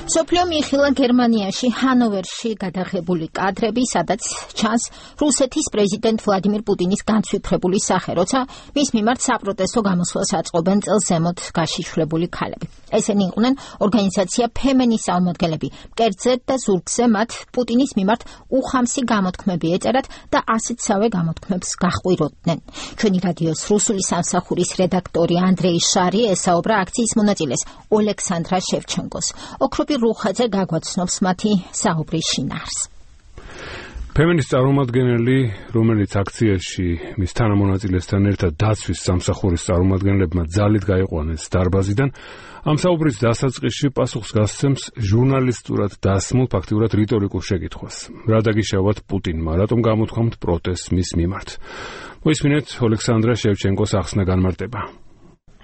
სოფლიო მიიხილა გერმანიაში ჰანოვერში გადაღებული კადრები, სადაც ჩანს რუსეთის პრეზიდენტ ვლადიმირ პუტინის განცვიფრებული სახე, როცა მის მიმართ საპროტესტო გამოსვლას აწყობენ წელს ზემოთ გაშიშვლებული ქალები. ესენი იყვნენ ორგანიზაცია ფემენის წარმომადგენლები. მკერდზე და ზურგზე მათ პუტინის მიმართ უხამსი გამოთქმები ეწერათ და ასეთსავე გამოთქმებს გაჰყვიროდნენ. ჩვენი რადიოს რუსული სამსახურის რედაქტორი ანდრეი შარი ესაუბრა აქციის მონაწილეს ოლექსანდრა შევჩენკოს. ოქროპი რუხაძე გაგვაცნობს მათი საუბრის შინაარს. ფემენის წარმომადგენელი, რომელიც აქციაში მის თანამონაწილესთან ერთად დაცვის სამსახურის წარმომადგენლებმა ძალით გაიყვანეს დარბაზიდან, ამ საუბრის დასაწყისში პასუხს გასცემს ჟურნალისტურად დასმულ, ფაქტიურად რიტორიკულ შეკითხვას. რა დაგიშავათ პუტინმა, რატომ გამოთქვამთ პროტესტს მის მიმართ? მოისმინეთ ოლექსანდრა შევჩენკოს ახსნა განმარტება.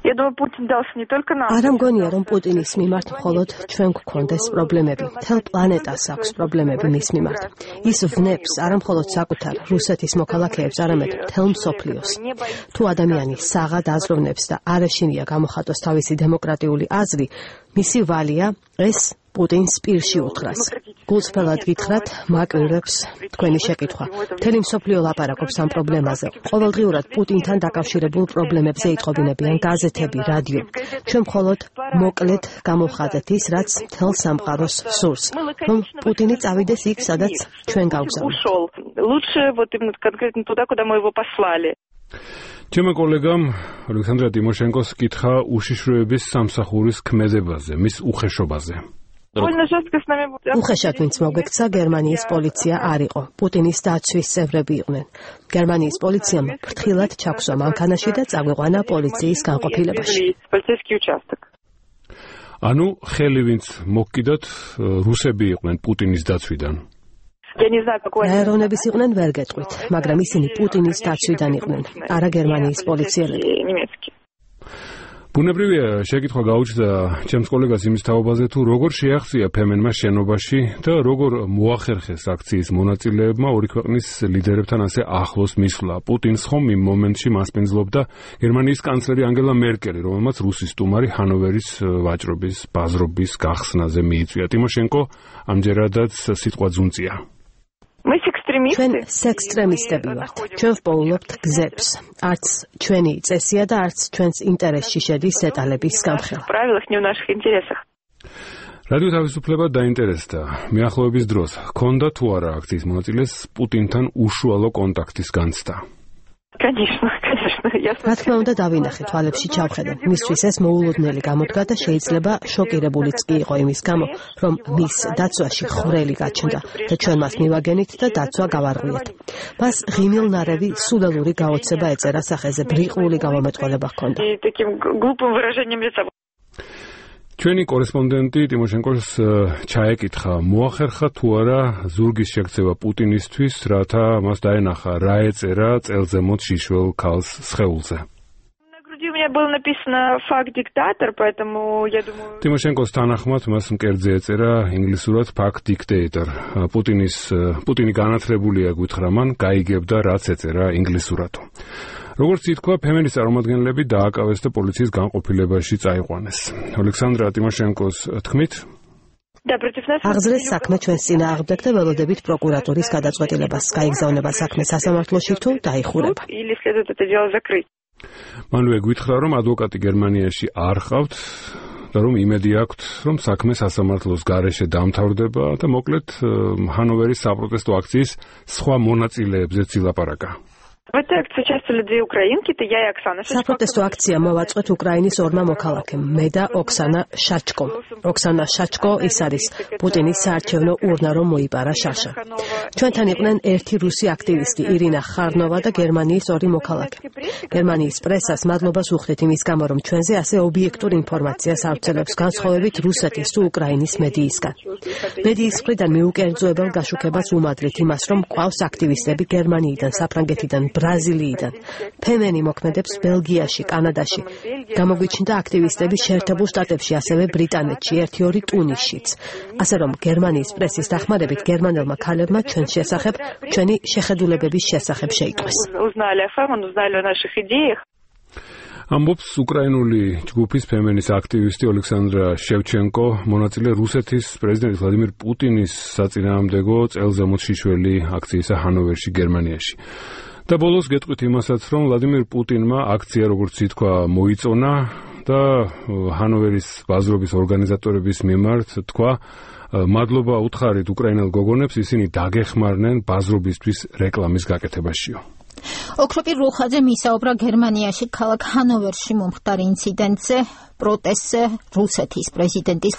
არა მგონია, რომ პუტინის მიმართ მხოლოდ ჩვენ გვქონდეს პრობლემები. მთელ პლანეტას აქვს პრობლემები მის მიმართ. ის ვნებს არა მხოლოდ საკუთარ რუსეთის მოქალაქეებს, არამედ მთელ მსოფლიოს. თუ ადამიანი საღად აზროვნებს და არ ეშინია გამოხატოს თავისი დემოკრატიული აზრი, მისი ვალია ეს პუტინს პირში უთხრას. გულწრფელად გითხრათ, მაკვირვებს თქვენი შეკითხვა. მთელი მსოფლიო ლაპარაკობს ამ პრობლემაზე. ყოველდღიურად პუტინთან დაკავშირებულ პრობლემებზე იტყობინებიან გაზეთები, რადიო. ჩვენ მხოლოდ მოკლედ გამოვხატეთ ის, რაც მთელ სამყაროს სურს, რომ პუტინი წავიდეს იქ, სადაც ჩვენ გავგზავნით. ჩემო კოლეგამ ოლექსანდრა ტიმოშენკოს კითხა უშიშროების სამსახურის ქმედებაზე, მის უხეშობაზე. უხეშად ვინც მოგვექცა, გერმანიის პოლიცია არ იყო. პუტინის დაცვის წევრები იყვნენ. გერმანიის პოლიციამ ფრთხილად ჩაგვსვა მანქანაში და წაგვიყვანა პოლიციის განყოფილებაში. ანუ ხელი ვინც მოგკიდათ, რუსები იყვნენ პუტინის დაცვიდან. ეროვნების იყვნენ ვერ გეტყვით, მაგრამ ისინი პუტინის დაცვიდან იყვნენ, არა გერმანიის პოლიციელები. ბუნებრივია შეკითხვა გაუჩნდა ჩემს კოლეგას იმის თაობაზე, თუ როგორ შეაღწია ფემენმა შენობაში და როგორ მოახერხეს აქციის მონაწილეებმა ორი ქვეყნის ლიდერებთან ასე ახლოს მისვლა. პუტინს ხომ იმ მომენტში მასპინძლობდა გერმანიის კანცლერი ანგელა მერკელი, რომელმაც რუსის სტუმარი ჰანოვერის ვაჭრობის, ბაზრობის გახსნაზე მიიწვია. ტიმოშენკო ამჯერადაც სიტყვა ძუნწია. ჩვენ სექსტრემისტები ვართ. ჩვენ ვპოულობთ გზებს. არც ჩვენი წესია და არც ჩვენს ინტერესში შედის დეტალების გამხელა. რადიო თავისუფლება დაინტერესდა. მიახლოების დროს ჰქონდა თუ არა აქციის მონაწილეს პუტინთან უშუალო კონტაქტის განცდა? რა თქმა უნდა, დავინახე, თვალებში ჩავხედე. მისთვის ეს მოულოდნელი გამოდგა და შეიძლება შოკირებულიც კი იყო იმის გამო, რომ მის დაცვაში ხვრელი გაჩნდა და ჩვენ მას მივაგენით და დაცვა გავარღვიეთ. მას ღიმილნარევი სულელური გაოცება ეწერა სახეზე, ბრიყული გამომეტყველება ჰქონდა. ჩვენი კორესპონდენტი ტიმოშენკოს ჩაეკითხა, მოახერხა თუ არა ზურგის შეკრება პუტინისთვის, რათა მას დაენახა რა ეწერა წელზემოთ შიშველ ქალს სხეულზე. ტიმოშენკოს თანახმად მას მკერდზე ეწერა ინგლისურად fact dictator. პუტინი განათლებულია, გითხრა მან, გაიგებდა რაც ეწერა ინგლისურად. როგორც ითქვა, ფემენის წარმომადგენლები დააკავეს და პოლიციის განყოფილებაში წაიყვანეს. ოლექსანდრა ტიმოშენკოს თქმით, აღზრეს საქმე ჩვენს წინააღმდეგ და ველოდებით პროკურატურის გადაწყვეტილებას. გაიგზავნება საქმე სასამართლოში თუ დაიხურება. მანვე გითხრა, რომ ადვოკატი გერმანიაში არ ყავთ და რომ იმედი აქვთ, რომ საქმე სასამართლოს გარეშე დამთავრდება და მოკლედ ჰანოვერის საპროტესტო აქციის სხვა მონაწილეებზეც ილაპარაკა. საპროტესტო აქცია მოვაწყვეთ უკრაინის ორმა მოქალაქემ, მე და ოქსანა შაჩკომ. ოქსანა შაჩკო ის არის პუტინის საარჩევნო ურნა, რომ მოიპარა შაშა. ჩვენთან იყვნენ ერთი რუსი აქტივისტი, ირინა ხარნოვა და გერმანიის ორი მოქალაქე. გერმანიის პრესას მადლობას უხდით იმის გამო, რომ ჩვენზე ასე ობიექტურ ინფორმაციას ავრცელებს, განსხვავებით რუსეთის თუ უკრაინის მედიისგან. მედიის მხრიდან მიუკერძოებელ გაშუქებას უმადრით იმას, რომ ყავს აქტივისტები გერმანიიდან, საფრანგეთიდან, ბრაზილიიდან. ფემენი მოქმედებს ბელგიაში, კანადაში. გამოგვიჩნდა აქტივისტები შეერთებულ შტატებში, ასევე ბრიტანეთში, 1-2 ტუნისშიც. ასე რომ გერმანიის პრესის დახმარებით გერმანელმა ქალებმა ჩვენს შესახებ, ჩვენი შეხედულებების შესახებ შეიტყვეს. ამბობს უკრაინული ჯგუფის ფემენის აქტივისტი ოლექსანდრა შევჩენკო, მონაწილე რუსეთის პრეზიდენტის ვლადიმირ პუტინის საწინააღმდეგო წელზემოშიშველი აქციისა ჰანოვერში, გერმანიაში. და ბოლოს გეტყვით იმასაც, რომ ვლადიმირ პუტინმა აქცია, როგორც ითქვა, მოიწონა და ჰანოვერის ბაზრობის ორგანიზატორების მიმართ თქვა, მადლობა უთხარით უკრაინელ გოგონებს, ისინი დაგეხმარნენ ბაზრობისთვის რეკლამის გაკეთებაშიო. ოქროპირ რუხაძე მისაუბრა გერმანიაში ქალაქ ჰანოვერში მომხდარ ინციდენტზე, პროტესტზე რუსეთის პრეზიდენტის